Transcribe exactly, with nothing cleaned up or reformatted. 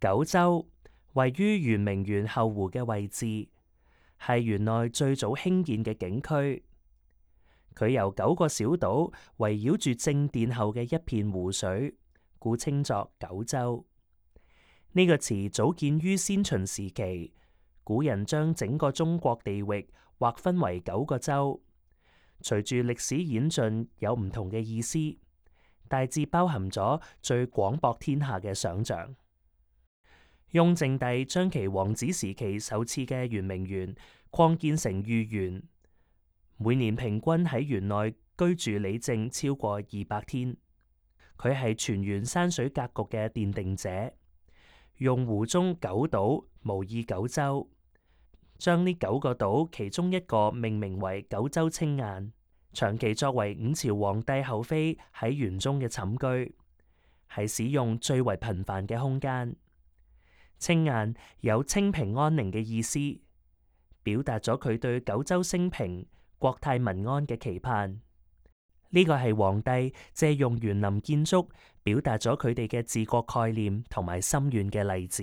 九州位於圓明園後湖嘅位置，係園內最早興建嘅景區。佢由九個小島圍繞住正殿後嘅一片湖水，故稱作九州。呢、這個詞早見於先秦時期，古人將整個中國地域劃分為九個州，隨住歷史演進有唔同嘅意思，大致包含咗最廣博天下嘅想象。雍正帝將其皇子時期首次嘅圓明園擴建成御園，每年平均喺園內居住里正超過二百天。佢係全園山水格局嘅奠定者，用湖中九島模擬九州，將呢九個島其中一個命名為九州青雁，長期作為五朝皇帝后妃喺園中嘅寢居，係使用最為頻繁嘅空間。青雁有清平安寧嘅意思，表達咗佢對九州升平、國泰民安嘅期盼。呢個係皇帝借用園林建築，表達咗佢哋嘅治國概念同埋心願嘅例子。